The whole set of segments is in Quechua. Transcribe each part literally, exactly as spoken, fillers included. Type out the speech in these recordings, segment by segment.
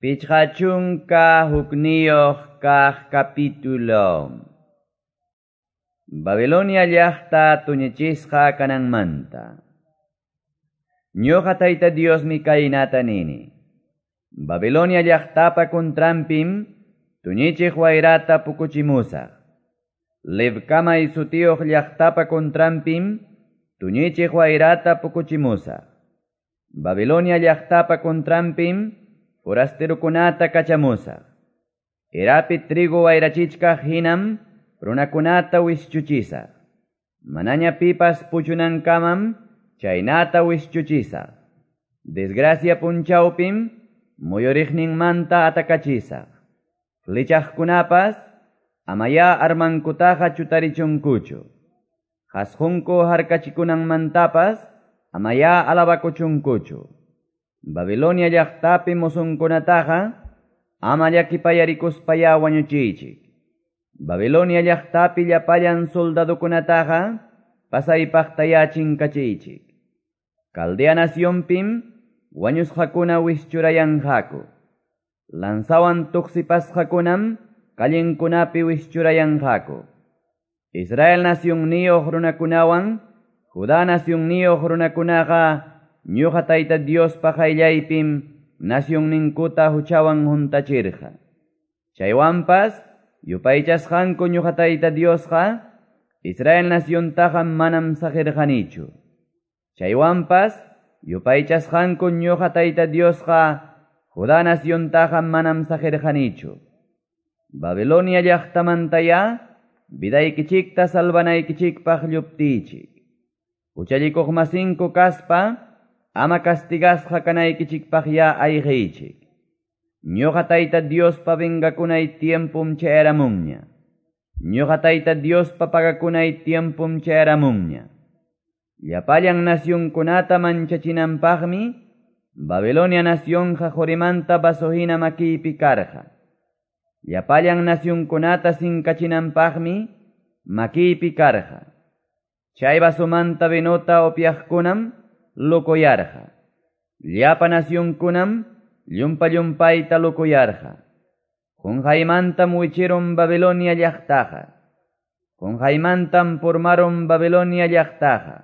Pichqa chunka hukniyuq kaq capítulo. Babilonia llaqta tuñichisqa kananmanta. Ñuqa Tayta Diosmi kaynata nini. Babilonia llaqtapa contranpim tuñichiq wayrata pukuchimusaq. Lebkamay sutiyuq llaqtapa contranpim tuñichiq wayrata pukuchimusaq. Babilonia llaqtapa contranpim forasterokunata kachamusaq. Erapi trigo wayrachichkaq hinam runakunata wischuchisaq. Manaña pipas puchunankamam chaynata wischuchisaq. Desgracia punchawpim muyuriqninmanta atakachisaq. Flechaqkunapas amaya armankutaqa chutarichunkuchu. Qasqunku harkachikunanmantapas amaya alabakuchunkuchu. Babilonia llaqtapi musunkunataqa ama llakipayarikuspaya wañuchiychik. Babilonia llaqtapi llapallan soldadokunataqa pasaypaqtaya chinkachiychik. Caldea nacionpim wañusqakuna wischurayanqaku. Lanzawan tuqsipasqakunam callenkunapi wischurayanqaku. Israel nacionniyuq runakunawan Judá nacionniyuq runakunaqa ñuqa Tayta Diospa qayllaypim nacionninkuta huchawan huntachirqa. Chaywanpas yupaychasqanku ñuqa Tayta Diosqa Israel naciontaqa manam saqirqanichu. Chaywanpas yupaychasqanku ñuqa Tayta Diosqa Judá naciontaqa manam saqirqanichu. Babilonia llaqtamantaya vidaykichikta salvanaykichikpaq lluptichik. Huchallikuqmasinku kaspa ama castigasqa kanaykichikpaq ya ayqiychik. Ñuqa Tayta Diospa vengakunay tiempum chayaramunña. Ñuqa Tayta Diospa pagakunay tiempum chayaramunña. Llapallan nacionkunata manchachinanpaqmi Babilonia nacionqa qurimanta vasohina makiypi karqa. Llapallan nacionkunata sinkachinanpaqmi makiypi karqa. Chay vasomanta vinota upyaqkunam lokoyarqa. Llapa nacionkunam llumpa llumpayta lokoyarqa. Qunqaymantam wichirun Babilonia llaqtaqa. Qunqaymantam purmarun Babilonia llaqtaqa.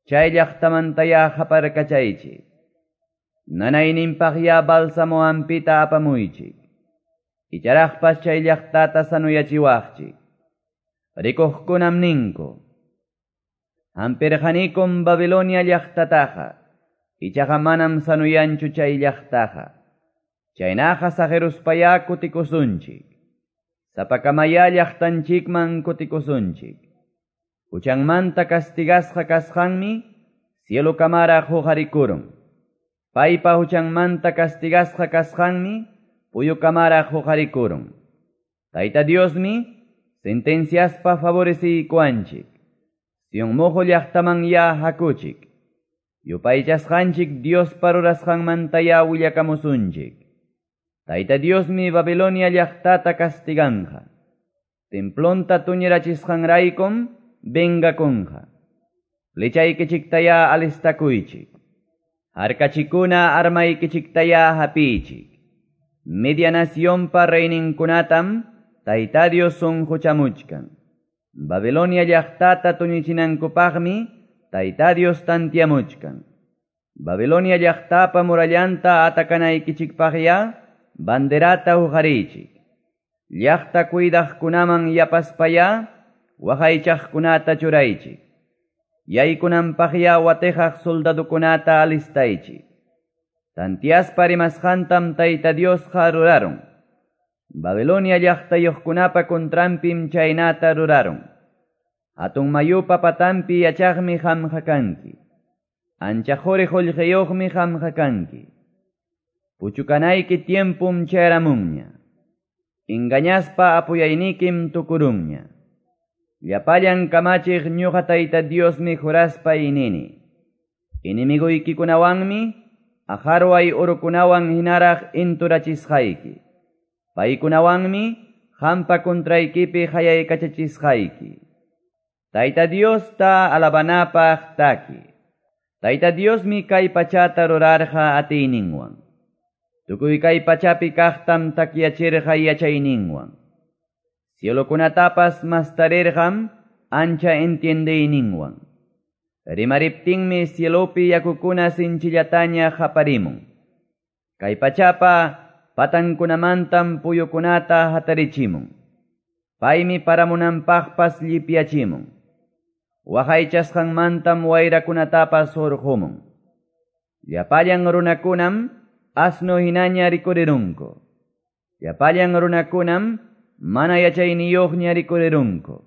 Chay llaqtamantaya haparkachaychik. Nanayninpaqya bálsamo hampita apamuychik. Icharaqpas chay llaqtata sanuyachiwaqchik. Rikuqkunam ninku. Hampirqanikum Babilonia llaqtataqa, ichaqa manam sanuyanchu chay llaqtaqa. Chaynaqa saqeruspaya kutikusunchik. Sapakamaya llaqtanchikman kutikusunchik. Huchanmanta castigasqa kasqanmi cielo kamaraq huqarikurun. Paypa huchanmanta castigasqa kasqanmi puyu kamaraq huqarikurun. Tayta Diosmi sentenciaspa favoreciykuanchik. Sion mojo llaqtaman ya hakuchik. Yupaychasqanchik Diospa rurasqanmanta ya willakamusunchik. Tayta Diosmi Babilonia llaqtata castiganqa. Templonta tuñirachisqanraykum vengakunqa. Flechaykichiktaya alistakuychik. Harkachikuna armaykichiktaya hapiychik. Media nacionpa reyninkunatam Tayta Dios sunquchamuchkan. Babilonia llaqtata tuñichinankupaqmi Tayta Dios tantiamuchkan. Babilonia llaqtapa murallanta atakanaykichikpaqya banderata huqariychik. Llaqta cuidaqkunaman yapaspaya waqaychaqkunata churaychik. Yaykunanpaqya watijaq soldadokunata alistaychik. Tantiaspa rimasqantam Tayta Diosqa rurarun. Babilonia llaqtayuqkunapa contranpim chaynata rurarun. Hatun mayupa patanpi yachaqmi qamqa kanki. Ancha quri qullqiyuqmi qamqa kanki. Puchukanayki tiempum chayaramunña. Engañaspa apuyaynikim tukurunña. Llapallan kamachiq ñuqa Tayta Diosmi juraspa inini. Enemiguykikunawanmi aqharway urukunawan hinaraq inturachisqayki. Paykunawanmi qampa contraykipi hayaykachachisqayki. Tayta Diosta alabanapaq taki. Tayta Diosmi kay pachata rurarqa atiyninwan. Tukuy kay pachapi kaqtam takyachirqa yachayninwan. Cielokunatapas mastarirqam ancha entiendeyninwan. Rimariptinmi cielopi yakukuna sinchillataña qaparimun. Kay pachapa patankunamantam puyukunata hatarichimun. Paymi paramunanpaqpas llipyachimun. Waqaychasqanmantam wayrakunatapas hurqumun. Llapallan runakunam asno hinaña rikurirunku. Llapallan runakunam mana yachayniyuqña rikurirunku.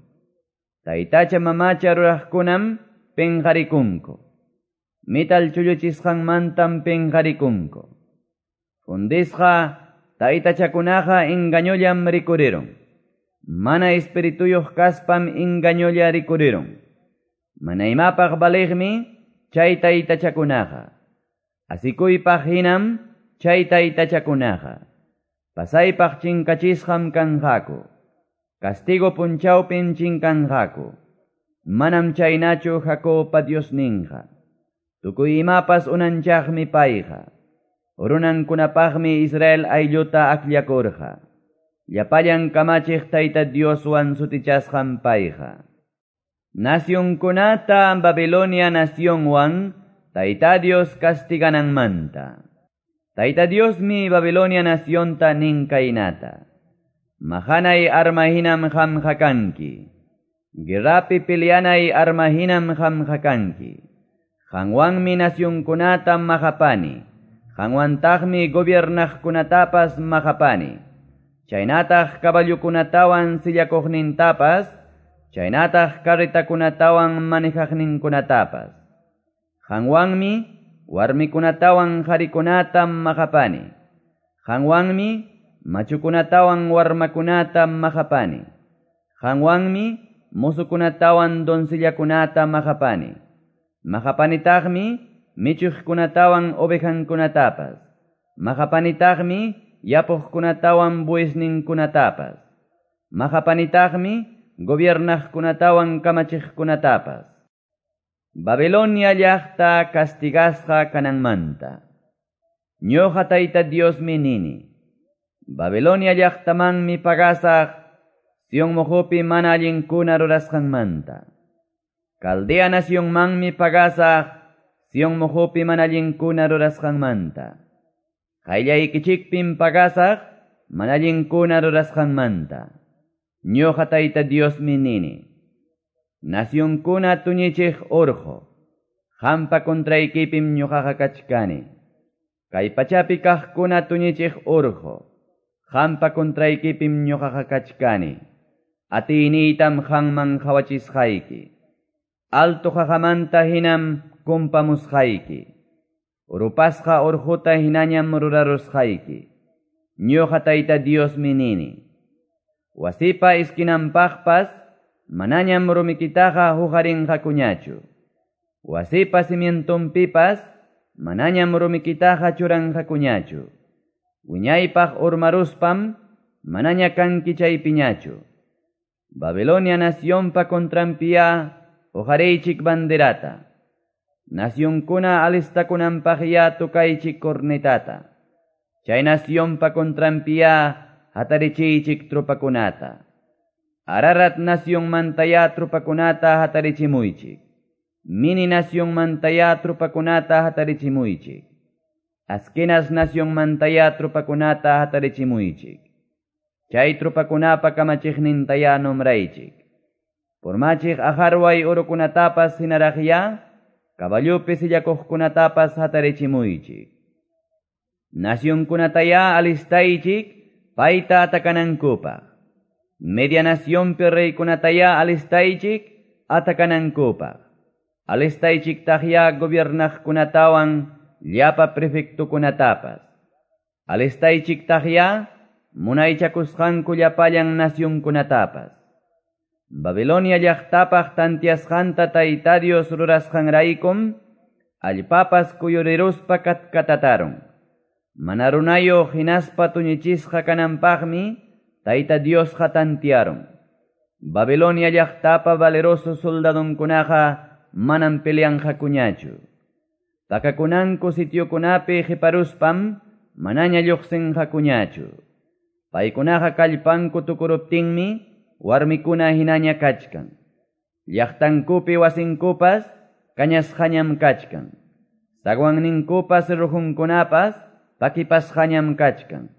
Taytacha mamacha ruraqkunam penqarikunku. Metal chulluchisqanmantam penqarikunku. Fundisqa taytachakunaqa engañollam rikurirun. Mana espirituyuq kaspam engañolla rikurirun. Mana imapaq valiqmi chay taytachakunaqa. Asikuypaq hinam chay taytachakunaqa. Pasaypaq chinkachisqam kanqaku. Castigo punchawpim chinkanqaku. Manam chaynachu Jacobpa Diosninqa. Tukuy imapas unanchaqmi payqa. Runankunapaqmi Israel aylluta akllakurqa. Llapallan kamachiq Tayta Dioswan sutichasqan payqa. Nacionkunata Babilonia nacionwan Tayta Dios castigananmanta. Tayta Diosmi Babilonia nacionta nin kaynata. Mahanay arma hinam qamqa kanki. Guerrapi peleanay arma hinam qamqa kanki. Qanwanmi nacionkunata maqapani. Qanwantaqmi gobiernaqkunatapas maqapani. Chaynataq caballokunatawan sillakuqnintapas, chaynataq carretakunatawan manejaqninkunatapas. Qanwanmi warmikunatawan qharikunata maqapani. Qanwanmi machukunatawan warmakunata maqapani. Qanwanmi mozokunatawan doncellakunata maqapani. Maqapanitaqmi michuqkunatawan ovejankunatapas. Maqapanitaqmi yapuqkunatawan buesninkunatapas. Maqapanitaqmi gobiernaqkunatawan kamachiqkunatapas. Babilonia llaqta castigasqa kananmanta. Ñuqa Tayta Diosmi nini. Babilonia llaqtamanmi pagasaq Sion mojopi mana allinkuna rurasqanmanta. Caldea nacionmanmi pagasaq Sion mojopi mana allinkuna rurasqanmanta. Qayllaykichikpim pagasaq mana allinkuna rurasqanmanta. Ñuqa Tayta Diosmi nini. Nacionkuna tuñichiq urqu, qampa contraykipim ñuqaqa kachkani. Kay pachapi kaqkuna tuñichiq urqu, qampa contraykipim ñuqaqa kachkani. Atiyniytam qanman qhawachisqayki. Alto qaqamanta hinam kumpamusqayki. Rupasqa urquta hinañam rurarusqayki. Ñuqa Tayta Diosmi nini. Wasipa esquinanpaqpas manañam rumikitaqa huqarinqakuñachu. Wasipa cimientonpipas manañam rumikitaqa churanqakuñachu. Wiñaypaq urmaruspam manaña kanki chaypiñachu. Babilonia nacionpa contranpiya huqariychik banderata. Nacionkuna alistakunanpaqya tukaychik cornetata. Chay nacionpa contranpiya hatarichiychik tropakunata. Ararat nacionmantaya tropakunata hatarichimuychik. Mini nacionmantaya tropakunata hatarichimuychik. Askenas nacionmantaya tropakunata hatarichimuychik. Chay tropakunapa kamachiqnintaya nombraychik. Purmachiq ajarway urukunatapas hinaraqya, caballopi sillakuqkunatapas hatarichimuychik. Nacionkunataya alistaychik, payta atakanankupaq. Media nacionpi reykunataya alistaychik, atakanankupaq. Alistaychik taqya gobiernaqkunatawan llapa prefectokunatapas. Alistaychik taqya munaychakusqanku llapallan nacionkunatapas. Babilonia llaqtapaq tantiasqanta Tayta Dios rurasqanraykum, allpapas kuyuriruspa katkatatarun. Mana runayuq hinaspa tuñichisqa kananpaqmi Tayta Diosqa tantiarun. Babilonia llaqtapa valeroso soldadonkunaqa manam peleanqakuñachu. Pakakunanku sitiokunapi qiparuspam manaña lluqsinqakuñachu. Paykunaqa kallpanku tukuruptinmi warmikuna hinaña kachkan. Llaqtankupi wasinkupas kañasqañam kachkan. Zaguanninkupas rujunkunapas pakipasqañam kachkan.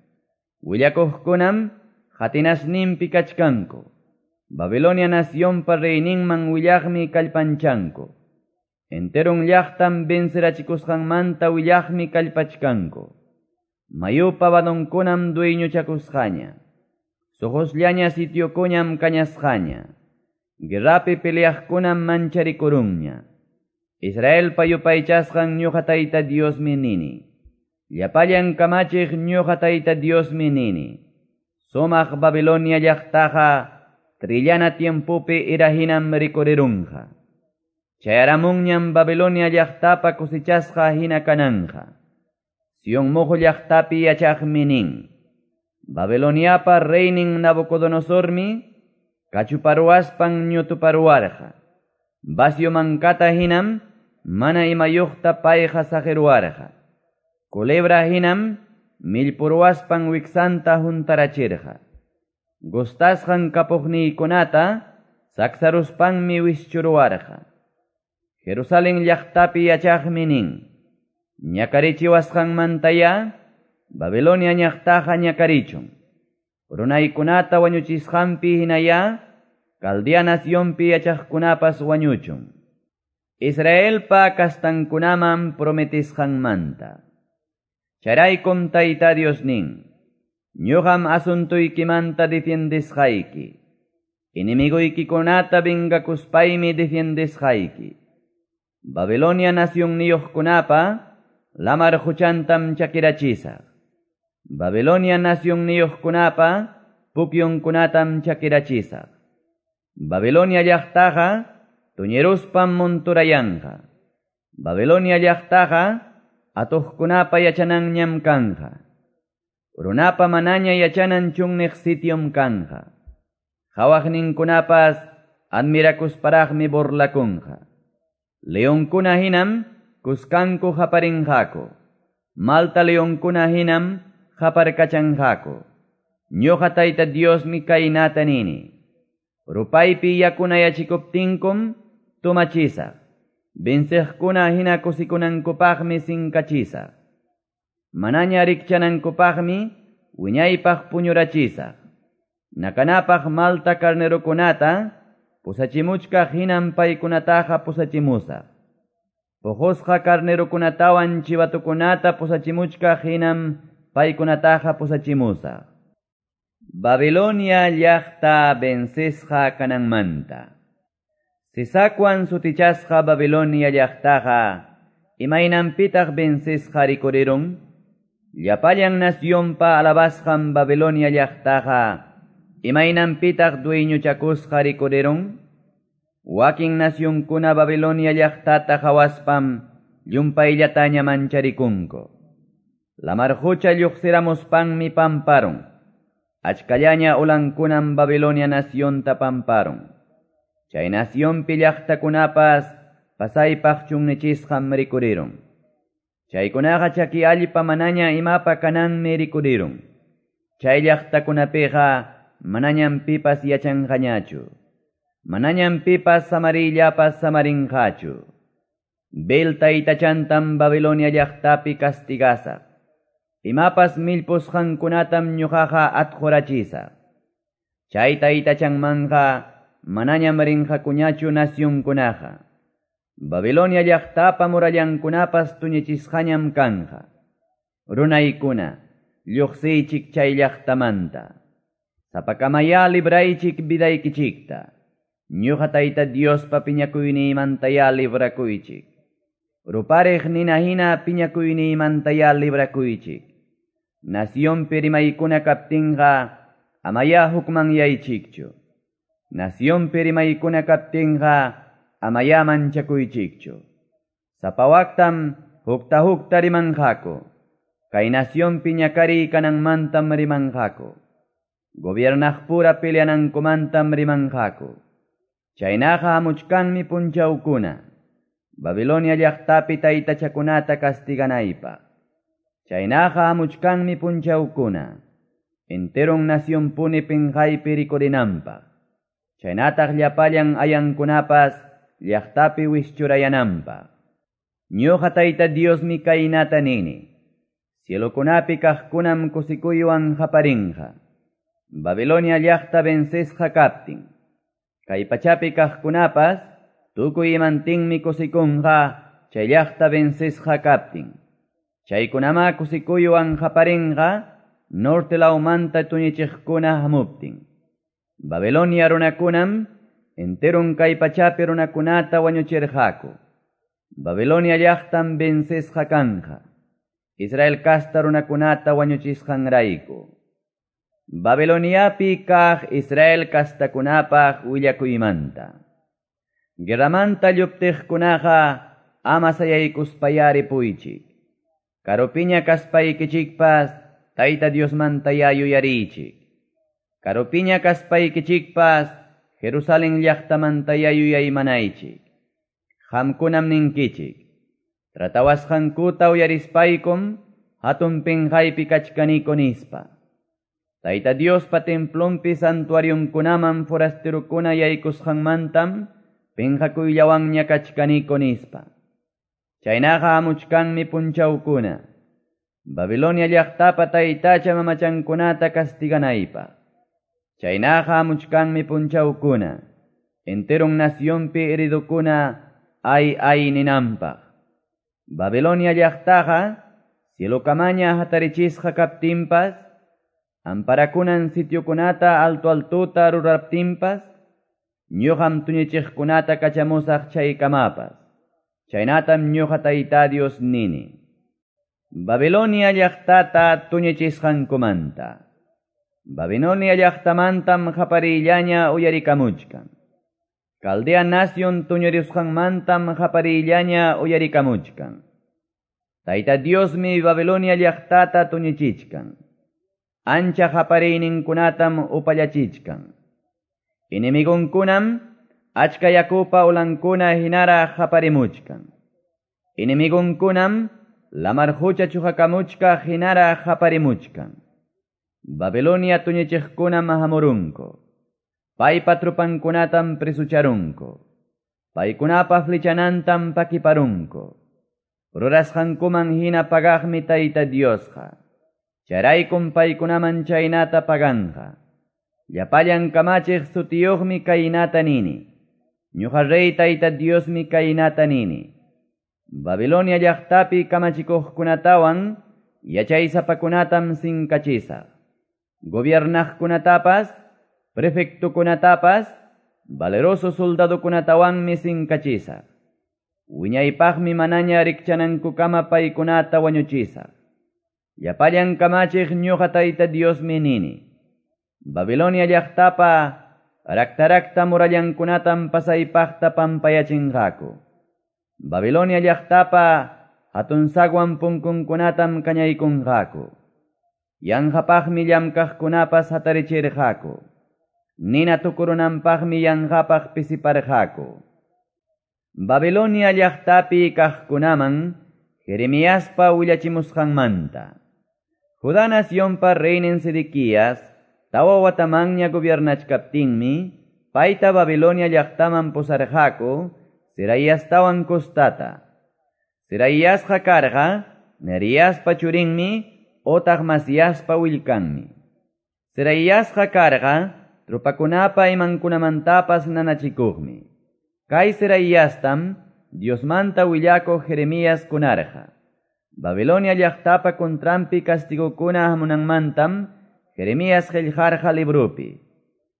Willakuqkunam qatinasninpi kachkanku. Babilonia nacionpa reyninman willaqmi kallpanchanku. Enteron llaqtam vencerachikusqanmanta willaqmi kallpachkanku. Mayupa vadonkunam dueñochakusqaña. Suqusllaña sitiokuñam kañasqaña. Guerrapi peleaqkunam mancharikurunña. Israelpa yupaychasqan ñuqa Tayta Diosmi nini. Llapallan kamachiq ñuqa Tayta Diosmi nini. Sumaq Babilonia llaqtaqa trillana tiempopi irahinam rikurirunqa. Chayaramunñam Babilonia llaqtapa cosechasqa hina kananja. Sion mojo llaqtapi yachaqmi nin. Babiloniapa reynin Nabucodonosormi kachuparuaspan ñutuparuarqa. Vacio mankata hinam mana imayuqta payqa saqiruarqa. Culebra hinam millpuruaspan wiksanta huntarachirqa. Gustasqan kapuqniykunata saksaruspanmi wischuruarqa. Jerusalén llaqtapi yachaqmi nin. Ñakarichiwasqanmantaya Babilonia llaqtaqa ñakarichun. Runaykunata wañuchisqanpi hinaya Caldea nacionpi yachaqkunapas wañuchun. Israelpa kastankunaman prometisqanmanta. Chayraykum Tayta Dios nin. Ñuqam asuntuykimanta defiendesqayki. Enemiguykikunata vengakuspaymi defiendesqayki. Babilonia nacionniyuqkunapa lamar quchantam chakirachisaq. Babilonia nacionniyuqkunapa pukyunkunatam chakirachisaq. Babilonia llaqtaqa tuñiruspam monturayanqa. Babilonia llaqtaqa atuqkunapa yachananñam kanja. Runapa manaña yachanan chunniq sitiom kanja. Qhawaqninkunapas admirakusparaqmi burlakunqa. Leonkuna hinam kuskanku qaparinqaku. Malta leonkuna hinam qaparkachanqaku. Ñuqa Tayta Diosmi kaynata nini. Rupaypi yakunayachikuptinkum tumachisaq. Venceqkuna hina kusikunankupaqmi sinkachisaq. Manaña rikchanankupaqmi wiñaypaq puñurachisaq. Nakanapaq malta carnerokunata pusachimuchkaq hinam paykunataqa pusachimusaq. Puqusqa carnerokunatawan chivatukunata pusachimuchkaq hinam paykunataqa pusachimusaq. Babilonia llaqta vencesqa kananmanta. Sisakwan sutichasqa Babilonia llaqtaqa imaynanpitaq vencesqa rikurirun? Llapallan nacionpa alabasqan Babilonia llaqtaqa imaynanpitaq dueñochakusqa rikurirun? Wakin nacionkuna Babilonia llaqtata qawaspam llumpayllataña mancharikunku. Lamar qucha lluqsiramuspanmi pamparun. Achkallaña ulankunam Babilonia nacionta pamparun. Chay nacionpi llaqtakunapas pasaypaq chunnichisqam rikurirun. Chaykunaqa chaki allpa manaña imapa kananmi rikurirun. Chay llaqtakunapiqa manañam pipas yachanqañachu. Manañam pipas samarillapas samarinqachu. Bel taytachantam Babilonia llaqtapi castigasaq. Imapas millpusqankunatam ñuqaqa atqurachisaq. Chay taytachanmanqa manañam rinqakuñachu nacionkunaqa. Babilonia llaqtapa murallankunapas tuñichisqañam kanja. Runaykuna, lluqsiychik chay llaqtamanta. Sapakamaya libraychik vidaykichikta. Ñuqa Tayta Diospa piñakuyniymantaya librakuychik. Rupariq nina hina piñakuyniymantaya librakuychik. Nacionpi rimaykuna kaptinqa amaya hukmanyaychikchu. Nacionpi rimaykuna kaptinqa amaya manchakuychikchu. Sapawaktam hukta hukta rimanqaku. Kay nacionpi ñakariy kananmantam rimanqaku. Gobiernaqpura peleanankumantam rimanqaku. Chaynaqa hamuchkanmi punchawkuna. Babilonia llaqtapi taytachakunata castiganaypaq. Chaynaqa hamuchkanmi punchawkuna, enteron nacionpuni pinqaypi rikurinanpaq. Chaynataq llapallan ayankunapas llaqtapi wischurayananpaq. Ñuqa Tayta Diosmi kaynata nini. Cielokunapi kaqkunam kusikuywan qaparinqa. Babilonia llaqta vencesqa kaptin. Kay pachapi kaqkunapas tukuy imantinmi kusikunqa chay llaqta vencesqa kaptin. Chaykunama kusikuywan qaparinqa norte lawmanta tuñichiqkuna hamuptin. Babilonia runakunam enteron kay pachapi runakunata wañuchirqaku. Babilonia llaqtam vencesqa kanqa. Israel kasta runakunata wañuchisqanrayku. Babiloniapi kaq Israel kastakunapaq willakuymanta. Guerramanta lluptiqkunaqa ama sayaykuspayari puychik. Karupiña kaspaykichikpas Tayta Diosmanta yuyariychik. Karupiña kaspaykichikpas Jerusalén llaqtamanta yuyaymanaychik. Qamkunam ninkichik. Tratawasqankuta uyarispaykum hatun pinqaypi kachkaniku nispa. Tayta Diospa templonpi santuarionkunaman forasterokuna yaykusqanmantam pinqakuyllawanña kachkaniku nispa. Chaynaqa hamuchkanmi punchawkuna. Babilonia llaqtapa taytacha mamachankunata castiganaypaq. Chaynaqa hamuchkanmi punchawkuna. Enteron nacionpi heridokuna ay ay ninanpaq. Babilonia llaqtaqa cielokamaña hatarichisqa kaptinpas, amparakunan sitiokunata alto altuta ruraptinpas, ñuqam tuñichiqkunata kachamusaq chaykamapas. Chaynatam ñuqa Tayta Dios nini. Babilonia llaqtata tuñichisqankumanta. Babilonia llaqtamantam qaparillaña uyarikamuchkan. Caldea nación tuñurisqanmantam qaparillaña uyarikamuchkan. Tayta Diosmi Babilonia llaqtata tuñichichkan. Ancha qapariyninkunatam upallachichkan. Enemigonkunam achka yakupa ulankuna hinaraq qaparimuchkan. Enemigonkunam lamar qucha chuqakamuchkaq hinaraq qaparimuchkan. Babilonia tuñichiqkunam hamurunku. Paypa trupankunatam presucharunku. Paykunapa flechanantam pakiparunku. Rurasqankuman hina pagaqmi Tayta Diosqa. Chayraykum paykunaman chaynata paganqa. Llapallan kamachiq sutiyuqmi kaynata nini. Ñuqa rey Tayta Diosmi kaynata nini. Babilonia llaqtapi kamachikuqkunatawan yachaysapakunatam sinkachisaq. Gobiernaqkunatapas, prefectokunatapas, valeroso soldadokunatawanmi sinkachisaq. Wiñaypaqmi manaña rikchanankukama paykunata wañuchisaq. Llapallan kamachiq ñuqa Tayta Diosmi nini. Babilonia llaqtapa raktarakta murallankunatam pasaypaqta pampayachinqaku. Babilonia llaqtapa hatun sagwan punkunkunatam kañaykunqaku. Yanqapaqmi llamkaqkunapas hatarichirqaku. Nina tukurunanpaqmi yanqapaq pisiparqaku. Babilonia llaqtapi kaqkunaman Jeremiaspa willachimusqanmanta. Judá nacionpa reynin Sedequías tawa watamanña gobiernachkaptinmi payta Babilonia llaqtaman pusarqaku Seraiastawan kostata. Seraiasqa karqa Neriaspa churinmi otaq Masiaspa willkanmi. Seraiasqa karqa tropakunapa imankunamantapas nanachikuqmi. Kay Seraiastam Diosmanta willakuq Jeremías kunarqa. Babilonia llaqtapa contranpi castigokuna hamunanmantam Jeremías qillqarqa librupi.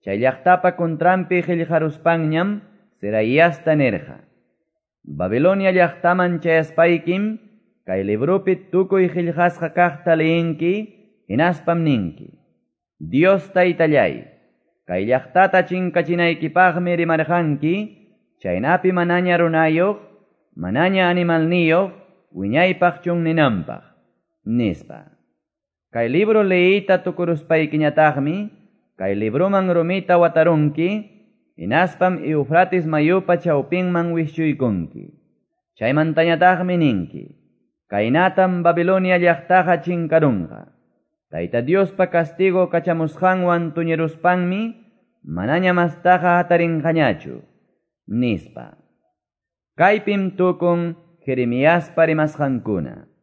Chay llaqtapa contranpi qillqaruspanñam Seraiasta nirqa. Babilonia llaqtaman chayaspaykim kay librupi tukuy qillqasqa kaqta liyinki hinaspam ninki. Dios Taytallay, kay llaqtata chinkachinaykipaqmi rimarqanki, chaynapi manaña runayuq, manaña animalniyuq, wiñaypaq chunninanpaq, nispa. Kay libro leeyta tukuruspaykiñataqmi, kay libroman rumita watarunki, hinaspam Eufrates mayupa chawpinman wischuykunki. Chaymantañataqmi ninki. Kaynatam Babilonia llaqtaqa chinkarunqa. Tayta Diospa castigo kachamusqanwan tuñiruspanmi manaña mastaqa hatarinqañachu, nispa. Kaypim tukun Jeremiaspa rimasqankuna.